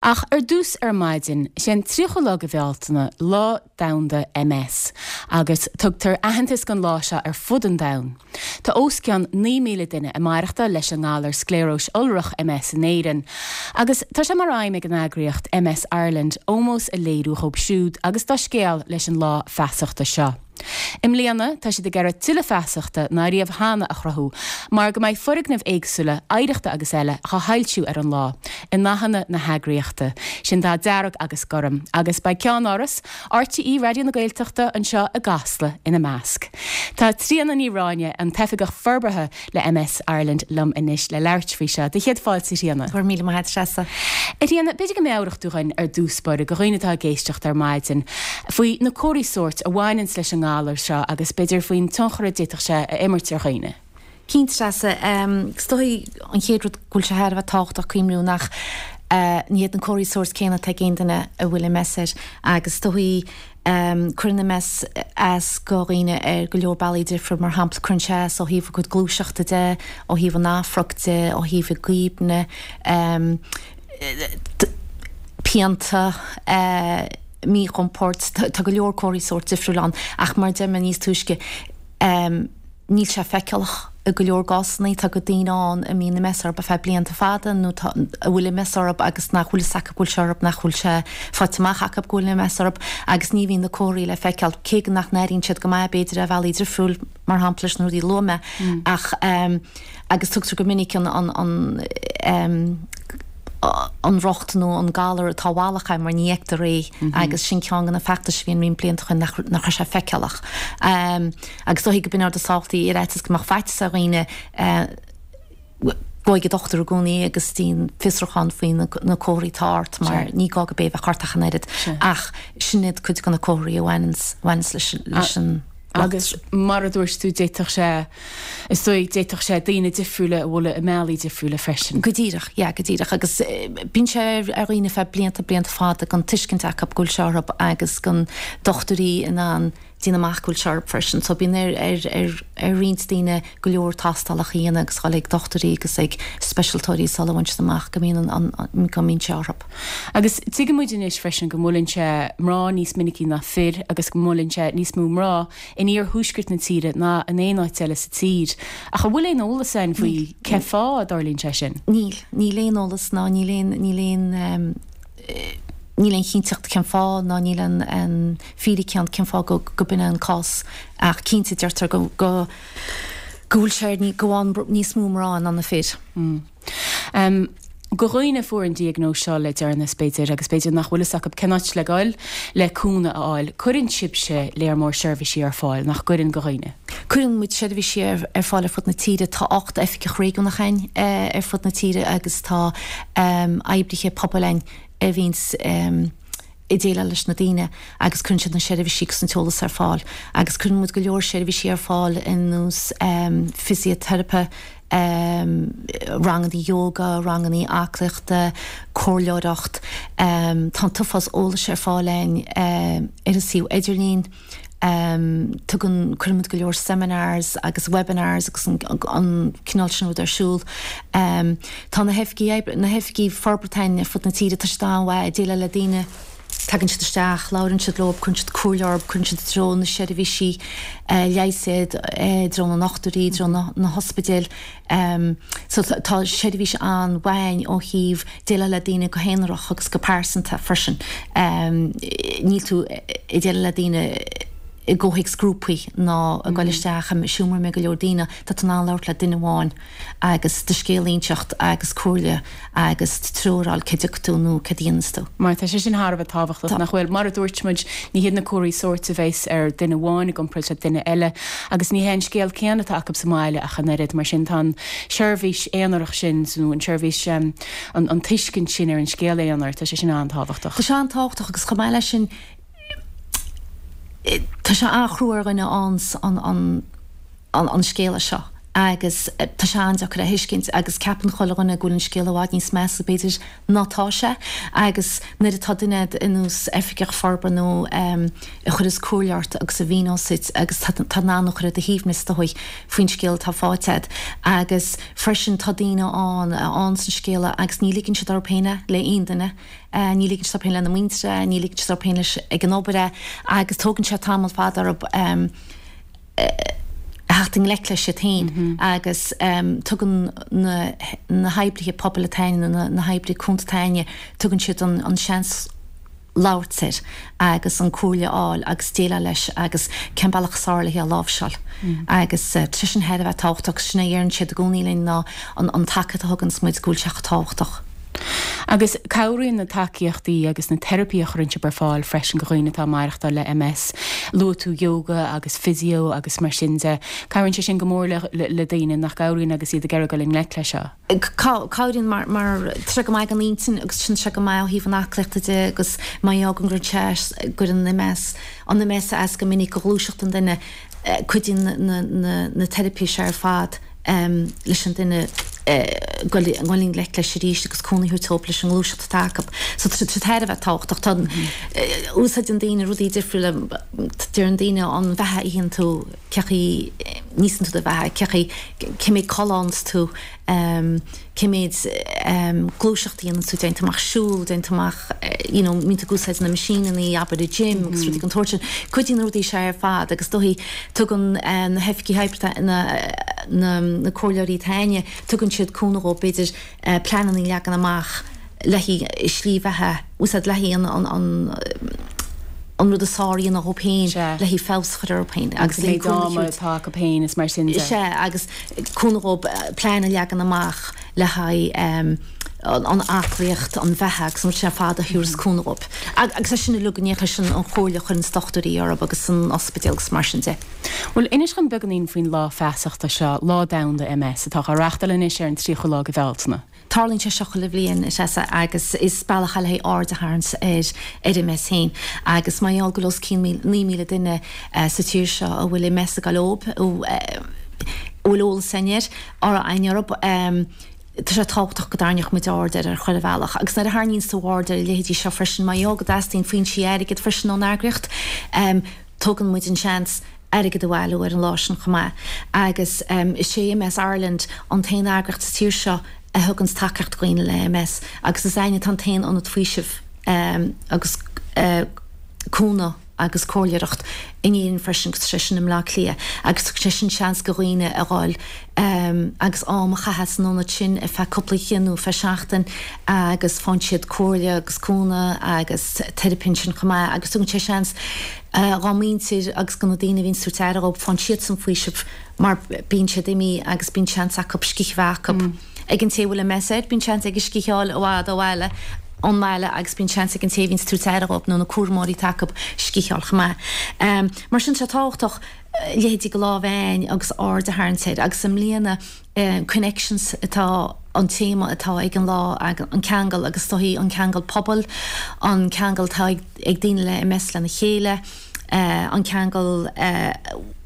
Ach ar dtús ar maidin, sé an 30ú lá de Bhealtaine Lá Domhanda MS agus tugtar aitheantas don lá seo ar fud an domhain. Tá os cionn 9,000 duine ag maireachtáil leis an ngalar scléaróis iolrach MS in Éirinn agus tá sé mar aidhm ag an eagraíocht MS Ireland ómós a léiriú dhóibh siúd agus dá scéal leis an lá feasachta seo. I mbliana, tá siad ag iarraidh tuilleadh feasachta ná riamh cheana a chruthú mar go mbeidh foirgnimh éagsúla, oidhreachta agus eile, dhá shoilsiú ar an lá, i ndathanna na heagraíochta, sin dath dearg agus gorm, agus beidh ceannáras RTÉ Raidió na Gaeltachta anseo i gCasla ina measc. Tá Tríona Ní Ráinne, an tOifigeach Forbartha le MS Ireland liom anois le labhairt faoi seo. Do chéad fáilte, a Thríona. Go raibh míle maith agat, a Threasa. A Thríona, b'fhéidir go meabhródh tú dhuinn ar dtús báire, do dhaoine atá ag éisteacht ar maidin, faoi na comharthaí sóirt a bhaineanns leis an ngalar seo agus b'fhéidir faoin tionchar a d'fhéadfadh sé a imirt ar dhaoine. Cinnte, Treasa. Is dóigh an chéad rud go bhfuil sé thar a bheith tábhachtach cuimhniú nach ní hiad na comharthaí sóirt céanna atá ag aon duine a bhfuil MS air agus is dóigh Cuireann MS as go dhaoine ar go leor bealaí difriúil, mar shampla, cuireann sé as ó thaobh a gcuid gluaiseachta de, ó thaobh an amhairc de, ó thaobh a gcuimhne, pianta, míchompord, tá go leor comharthaí sóirt difriúil ann ach mar a deir mé níos túisce, Níl sé feiceálach i go leor gcásanna. Tá go daoine ann a mbíonn MS orthu ar feadh blianta fada nó tá, a bhfuil MS orthu agus nach bhfuil fhios acu go bhfuil sé orthu, nach bhfuil sé faighte amach acu go bhfuil MS orthu agus ní bhíonn na comharthaí le feiceáil, cé go nach n-airíonn siad go maith b'fhéidir ar bhealaí difriúil, mar shampla leis na rudaí a luaigh mé ach agus tugtar go minic an, an, an, an rocht nó an galar atá i bhfalach air mar ní fheictear é agus sin ceann de na feachtais a bhí ann roinnt blianta ó shin nach nach raibh sé feiceálach. Agus is dóigh go b'in an rud is tábhachtaí ar fhaitíos go mbeadh faitíos ar dhaoine gabh ag an dochtúir i gcónaí agus déan fiosrúchán faoi na comharthaí atá ort mar ní gá go b'é a bheadh ort ach an oiread. Ach sin iad cuid de na comharthaí a bhaineanns bhaineanns leis leis an Agus mar a dúirt tú d'fhéadfadh sé, is dóigh, d'fhéadfadh sé daoine difriúla a bhualadh i mbealaí difriúla freisin. Go díreach, yeah, go díreach. Agus bíonn sé ar dhaoine feadh blianta, blianta fada gan tuiscint acu go bhfuil sé orthu agus gan dochtúirí in ann déanamh amach go bhfuil sé orthu freisin. So bíonn ar ar ar ar roinnt daoine go leor tástálacha a dhéanamh agus dhul ag dochtúirí agus ag speisialtóirí sula bhfaigheann siad amach go mbíonn an an go mbíonn sé orthu. Agus tuigeann muid anois freisin go mbuaileann sé mná níos minicí ná fir agus go mbuaileann sé níos mó mná in iarthuaisceart na tíre ná in aon áit eile sa tír. Ach an bhfuil aon eolas againn faoi cén fáth a dtarlaíonn sé sin? Níl. Níl aon eolas ná níl aon níl aon níl aon chinnteacht cén fáth ná níl an an fíric ann cén fáth go go b'in é an cás ach cinnte deirtear go go go bhfuil sé ar go bhfaigheann níos mó mná ná na fir. Do dhaoine a fuair an diagnóis seo le deireanas b'fhéidir agus b'fhéidir nach bhfuil fhios acu cén áit le goil le cúnamh a fháil, cuireann sibhse léar mór seirbhísí ar fáil, nach gcuireann do dhaoine? Cuireann muid seirbhísí ar fáil ar fud na tíre. Tá 8 oifigeach réigiúnach againn ar fud na tíre agus tá oibrithe pobail againn a bhíonns ag déileáil leis na daoine agus cuireann siad na seirbhísí agus an t-eolas ar fáil. Agus cuireann muid go leor seirbhísí ar fáil ar nós fisioteiripe, ranganna yoga, ranganna aclaíochta, comhairleoireacht. Tá an t-uafás eolais ar fáil againn ar an suíomh idirlín. Tugann, cuireann muid go leor seminars agus webinars agus an cineál sin rud ar siúl. Tá na hoifigí oibre, na hoifigí forbartha againn ar fud na tíre, tá siad an-mhaith ag déileáil le daoine, tagann siad isteach, labhrann siad leo, cuireann siad comhairle orthu, cuireann siad i dtreo na seirbhísí leighis iad, i dtreo na ndochtúirí, i dtreo na hospidéil. So tá seirbhís an-mhaith againn ó thaobh déileáil le daoine go haonarach agus go pearsanta freisin. Níl tú ag déileáil le daoine i gcomhthéacs grúpaí ná ag goil isteach i seomra a mbeidh go leor daoine, tá tú in ann labhairt le duine amháin agus do scéal a inseacht agus comhairle agus treoir a fháil cá dtiocfaidh tú nó céard a dhéanfas tú. Mar tá sé sin thar a bheith tábhachtach, nach bhfuil? Mar a dúirt muid, ní hiad na comharthaí sóirt a bheas ar duine amháin i gcomparáid le duine eile agus ní hé an scéal céanna atá acu sa mbaile ach an oiread. Mar sin tá an seirbhís aonarach sin nó an seirbhís, an tuiscint sin ar an scéal aonair, tá sé sin an-tábhachtach. Tá sé an-tábhachtach agus chomh maith leis sin, tá sé an-chrua ar dhuine an an scéala seo. Agus tá sé an-deacair a thuiscint agus ceapann chuile dhuine go bhfuil an scéal i bhfad níos measa b'fhéidir ná tá sé. Agus nuair atá duine ar nós oifigeach forbartha nó a chuireas comhairle ort agus a mhíneos duit agus tá in ann a chur ar do shuaimhneas is dóigh faoin scéal atá faighte agat. Agus freisin tá daoine ann a fhaigheanns an scéala agus ní ligeann siad orthu féin é le aon duine. Ní ligeann siad orthu féin lena muintir é, ní ligeann siad orthu féin leis ag an obair é agus tógann sé tamall fada orthu a theacht i ngleic leis iad féin agus tugann na hoibrithe pobail atá againne, na hoibrithe cúnta atá againne, tugann siad an seans labhairt air agus an comhairle a fháil agus déileáil leis agus cén bealach is fearr le hé a láimhseáil. Agus tá sé sin thar a bheith tábhachtach agus sin é a dheireann siad i gcónaí linn ná an tacaíocht a thuganns muid go bhfuil sé chomh tábhachtach. Agus cabhraíonn na tacaíochtaí agus na teiripí a chuireann sibh ar fáil freisin do dhaoine atá ag maireachtáil le MS. Luaigh tú yoga agus physio agus mar sin de. Cabhraíonn sé sin go mór le daoine, nach gcabhraíonn agus iad ag iarraidh dul i ngleic leis seo? Cabhraíonn mar mar tá sé go maith don intinn agus tá sé go maith ó thaobh an aclaíochta de agus mar gheall go gcuireann sé gcuireann MS an MS as go minic do ghluaiseacht an duine cuidíonn na na na teiripí seo ar fad leis an duine dul i ngleic leis arís agus cúnamh a thabhairt dóibh leis an ngluaiseacht atá acu. So tá sé thar a bheith tábhachtach. Tá úsáideann daoine rudaí difriúla deireann daoine an bheatha a itheann tú cé chaoi níosann tú do bheatha, cé chaoi cé méid codladh a fhaigheanns tú, cé méid gluaiseacht a dhéanann tú, dtéann tú amach siúl, dtéann tú amach you know mbíonn tú ag úsáid na meaisíneanna abair i gym agus rudaí den tsórt sin. Cuidíonn na rudaí seo ar fad agus dóichí tugann na hoifigigh oibre na na comhairleoirí atá againne, tugann siad cúnamh dhóibh b'fhéidir pleananna a leagan amach le haghaidh slí bheatha, úsáid le haghaidh an an an rud is fearr a dhéanamh dhóibh féin le haghaidh feabhas a chur orthu féin agus le haghaidh cúnamh a thabhairt. atá acu féin is mar sin de. Sea, agus cúnamh dhóibh plean a leagan amach le haghaidh an aclaíocht, an bheatha agus an rud sin ar fad a thabharfas cúnamh dhóibh. Agus é sin uilig in éineacht leis an chomhairle a chuireann dochtúirí orthu agus san ospidéal agus mar sin de. Bhuel, inis dhom beagáinín faoin lá feasachta seo, Lá Domhanda MS, atá á reáchtáil anois ar an 30ú lá de Bhealtaine. Tarlaíonn sé seo chuile bhliain, a Threasa, agus is bealach é le haghaidh aird a tharraingt ar ar MS féin. Agus mar gheall go bhfuil os cionn 9,000 duine sa tír seo a bhfuil MS ag dul dhóibh, a bhfuil eolas againn air, againn orthu, tá sé tábhachtach go dtarraingeodh muid aird air ar chuile bhealach. Agus nuair a tharraingíonns tú aird ar a leithéidí seo freisin, mar gheall go dteastaíonn foinsí airgid freisin ón eagraíocht, tógann muid an seans airgead a bhailiú ar an lá sin chomh maith. Agus is é MS Ireland an t-aon eagraíocht sa tír seo a thuganns tacaíocht do dhaoine le MS agus is againne atá an t-aon ionad faoisimh agus cúnamh agus comhairleoireacht in Éirinn freisin agus tá sé sin i mBleá Cliath agus tugann sé sin seans do dhaoine a dhul agus am a chaitheamh san ionad sin ar feadh cúpla oíche nó ar feadh seachtain agus faigheann siad comhairle agus cúnamh agus teiripe ansin chomh maith agus tugann sé seans dá muintir agus do na daoine a bhíonn ag tabhairt aire dhóibh, faigheann siadsan faoiseamh mar bíonn siad imithe agus bíonn seans acu scíth a bheith acu. Ag an té a bhfuil MS air, bíonn seans aige scíth a fháil i bhfad ó bhaile, ón mbaile agus bíonn seans ag an té a bhíonn ag tabhairt aire dhóibh nó na cúramóirí atá acu scíth a fháil chomh maith. Mar sin, tá sé tábhachtach leithéidí de lá a bheith againn agus aird a tharraingt air agus i mbliana, Connections atá an téama atá ag an lá, an ceangal agus is dóichí an ceangal pobail, an ceangal atá ag daoine le MS lena chéile, an ceangal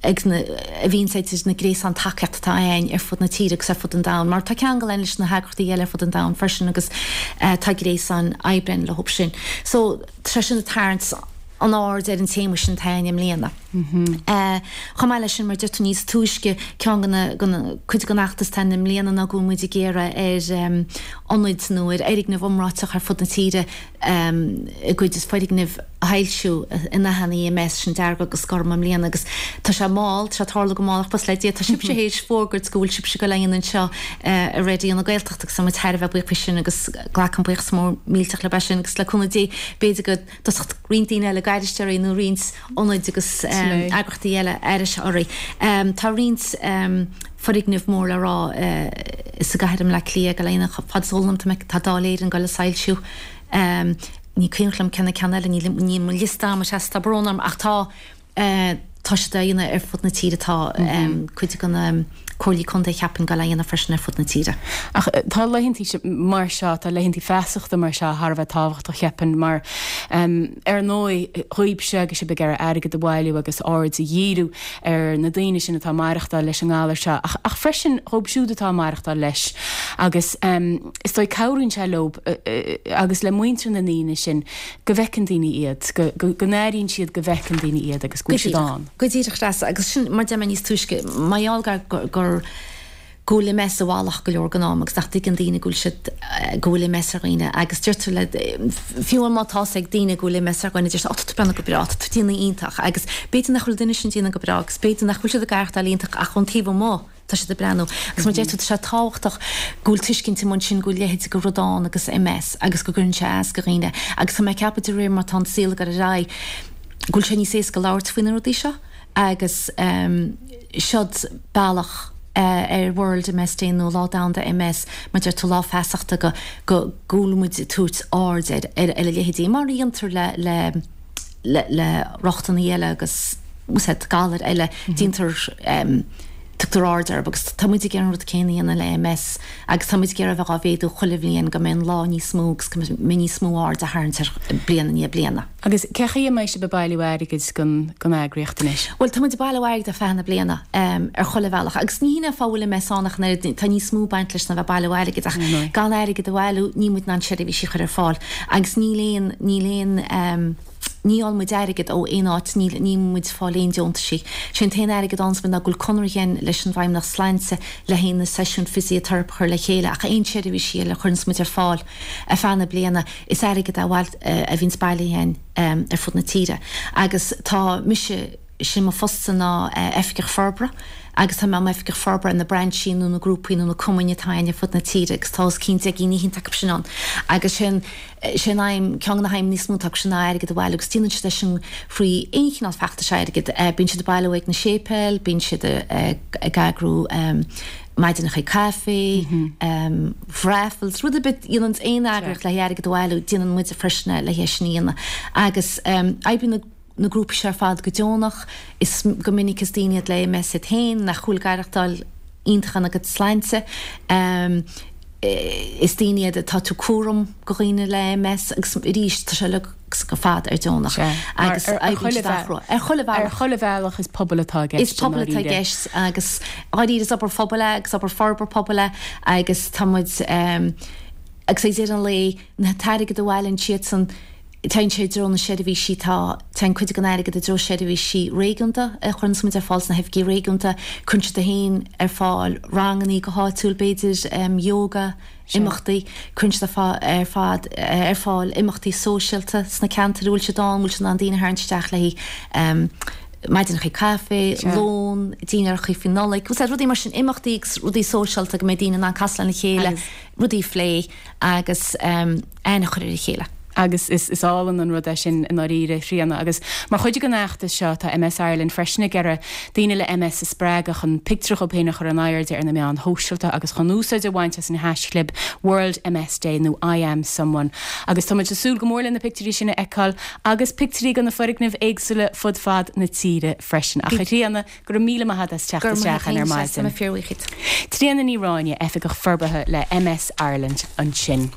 ag na, a bhíonns idir na gréasáin tacaíochta atá againn ar fud na tíre agus ar fud an domhain, mar tá ceangal againn leis na heagraíochtaí eile ar fud an domhain freisin agus tá gréasáin oibre againn leo sin. So tá sé sin ag tarraingt an aird ar an téama sin atá againn i mbliana. Chomh maith leis sin, mar a deir tú níos túisce, ceann de na, cuid den fheachtas atá againn i mbliana ná go bhfuil muid ag iarraidh ar ionaid nó ar fhoirgnimh iomráiteacha ar fud na tíre a gcuid foirgnimh a shoilsiú i ndathanna MS, sin dearg agus gorm i mbliana agus tá sé mall, tá sé ag tarlú go mall ach buíochas le Dia, tá sibhse théis fógairt go bhfuil sibhse ag dul a dhéanamh anseo i Raidió na Gaeltachta agus tá muid thar a bheith buíoch faoi sin agus glacaim buíochas mór millteach libh as sin agus le cúnamh Dé b'fhéidir go dtosódh roinnt daoine eile ag aithris orainn nó roinnt ionaid agus eagraíochtaí eile aithris orainn. Tá roinnt foirgneamh mór le rá sa gcathair i mBleá Cliath ag dul a dhéanamh fad is eol dom tá Dáil Éireann ag dul a soilsiú. Ní cuimhin liom cé na ceann eile, níl mo liosta agam, sea, tá brón orm ach tá. Tá siad á dhéanamh ar fud na tíre. Tá cuid de na comhairlí contae cheapfainn ag dul á dhéanamh freisin ar fud na tíre. Ach tá laethantaí mar seo, tá laethantaí feasachta mar seo thar a bheith tábhachtach cheapfainn mar Ar ndóigh, dhaoibhse agus sibh ag iarraidh airgead a bhailiú agus aird a dhíriú ar na daoine sin atá ag maireachtáil leis an ngalar seo ach ach freisin dhóibh siúd atá ag maireachtáil leis agus is dóigh cabhraíonn sé leo agus le muintir na ndaoine sin go bhfeiceann daoine iad, go go n-airíonn siad go bhfeiceann daoine iad agus go bhfuil siad ann. Go díreach, Treasa, agus sin mar deir mé níos túisce, mar gheall gur gur go bhfuil MS i bhfalach go leor den am agus nach dtuigeann daoine go bhfuil siad, go bhfuil MS ar dhaoine agus deirtear le, fiú má tá's ag daoine go bhfuil MS ar dhuine, deir siad, 'Ó, tá tú ag breathnú go breá, tá tú ag déanamh iontach' agus b'fhéidir nach bhfuil an duine sin ag déanamh go breá agus b'fhéidir nach bhfuil siad ag aireachtáil iontach ach ón taobh amuigh tá siad ag breathnú. Agus mar deir tú, tá sé tábhachtach go bhfuil tuiscint amuigh ansin go bhfuil leithéid de rud ann agus MS agus go gcuireann sé as do dhaoine agus tá mé ag ceapadh de réir mar tá an saol ag dul ar aghaidh go bhfuil sé níos éasca labhairt faoi na rudaí seo agus seod bealach ar World MS Day nó Lá Domhanda MS, mar deir tú, lá feasachta go go bhfuil muid ag tabhairt aird ar ar a leithéidí, mar a dhéantar le le le le rochtanaí eile agus úsáid galair eile, déantar tugtar aird orthu agus tá muid ag iarraidh an rud céanna a dhéanamh le MS agus tá muid ag iarraidh a bheith á mhéadú chuile bhliain go mbeidh an lá níos mó agus go mbeidh níos mó aird á tharraingt air bliain i ndiaidh bliana. Agus cé chaoi a mbeidh sibh ag bailiú airgid don eagraíocht anois? Bhuel, tá muid ag bailiú airgid ar feadh na bliana, ar chuile bhealach. Agus ní hin é an fáth a bhfuil MS ann ach an oiread, tá níos mó ag baint leis ná bheith ag bailiú airgid ach gan airgead a bhailiú, níl muid in ann seirbhísí a chur ar fáil. Agus níl aon, níl aon, ní fháil muid airgead ó aon áit, níl, níl muid ag fáil aon deontaisí. Sé an t-aon airgead a fhaigheanns muid ná go bhfuil conradh again leis an bhFeidhmeannacht Sláinte le haghaidh na seisiúin fisiteiripe a chur le chéile ach aon seirbhísí eile a chuireanns muid ar fáil ar feadh na bliana, Is airgead é a bhíonns bailithe againn ar fud na tíre agus tá mise, sin mo phostsa ná Oifigeach Forbartha agus tá mé i m'Oifigeach Forbartha ar na brainsí nó na grúpaí nó na cumainn atá againn ar fud na tíre agus tá os cionn 10 gcinn fhichead acu sin ann agus sin sé an aidhm, ceann de na haidhmeanna is mó atá acu sin ná airgead a bhailiú agus déanann siad é sin thrí aon chineál feachtais airgid. Bíonn siad ag bailiú ag na séipéil, bíonn siad ag eagrú maidineacha caife, raffles, rud ar bith a dhéananns aon eagraíocht le haghaidh airgead a bhailiú, déanann muide freisin é le haghaidh é sin a dhéanamh. Agus oibríonn na grúpaí seo ar fad go deonach, is go minic is daoine iad le MS iad féin nach bhfuil ag aireachtáil iontach ina gcuid sláinte. Is daoine iad atá ag tabhairt cúram do dhaoine le MS agus arís tá sé uilig ar fad ar deonach agus oibríonn siad an-chrua. Ar chuile bhealach. Ar chuile bhealach is pobal atá i gceist. Is pobal atá i gceist agus dháiríre is obair phobail é agus obair forbartha pobail é agus tá muid agus ag deireadh an lae an t-airgead a bhailíonn siadsan téann sé i dtreo na seirbhísí tá téann cuid den airgead i dtreo seirbhísí réigiúnda a chuireanns muid ar fáil sna hoifigí réigiúnta cuireann siad féin ar fáil rangannaí go háitiúil b'fhéidir yoga imeachtaí, cuireann siad ar fad ar fáil imeachtaí sóisialta sna ceantair a bhfuil siad ann, bhfuil siad in ann daoine a tharraingt isteach le haghaidh maidineacha caife, lón, dinnéaracha faoi Nollaig, bhfuil rudaí mar sin, imeachtaí agus rudaí sóisialta go mbeidh daoine in ann casadh lena chéile, rudaí a phlé agus aithne a chur ar a chéile. Agus is álainn an rud é sin i ndáiríre, a Thríona. Agus mar chuid den fheachtas seo, tá MS Ireland freisin ag iarraidh daoine le MS a spreagadh chun pictiúr dhóibh féin a chur in airde ar na meáin shóisialta agus chun úsáid a bhaint as an haischlib WorldMSDay nó IAmSomeone. Agus tá muid ag súil go mór le na pictiúirí sin a fheiceáil agus pictiúirí de na foirgnimh éagsúla fud fad na tíre freisin. Ach a Thríona, go raibh míle maith agat as teacht isteach ar maidin. Tríona Ní Ráinne, Oifigeach Forbartha le MS Ireland ansin.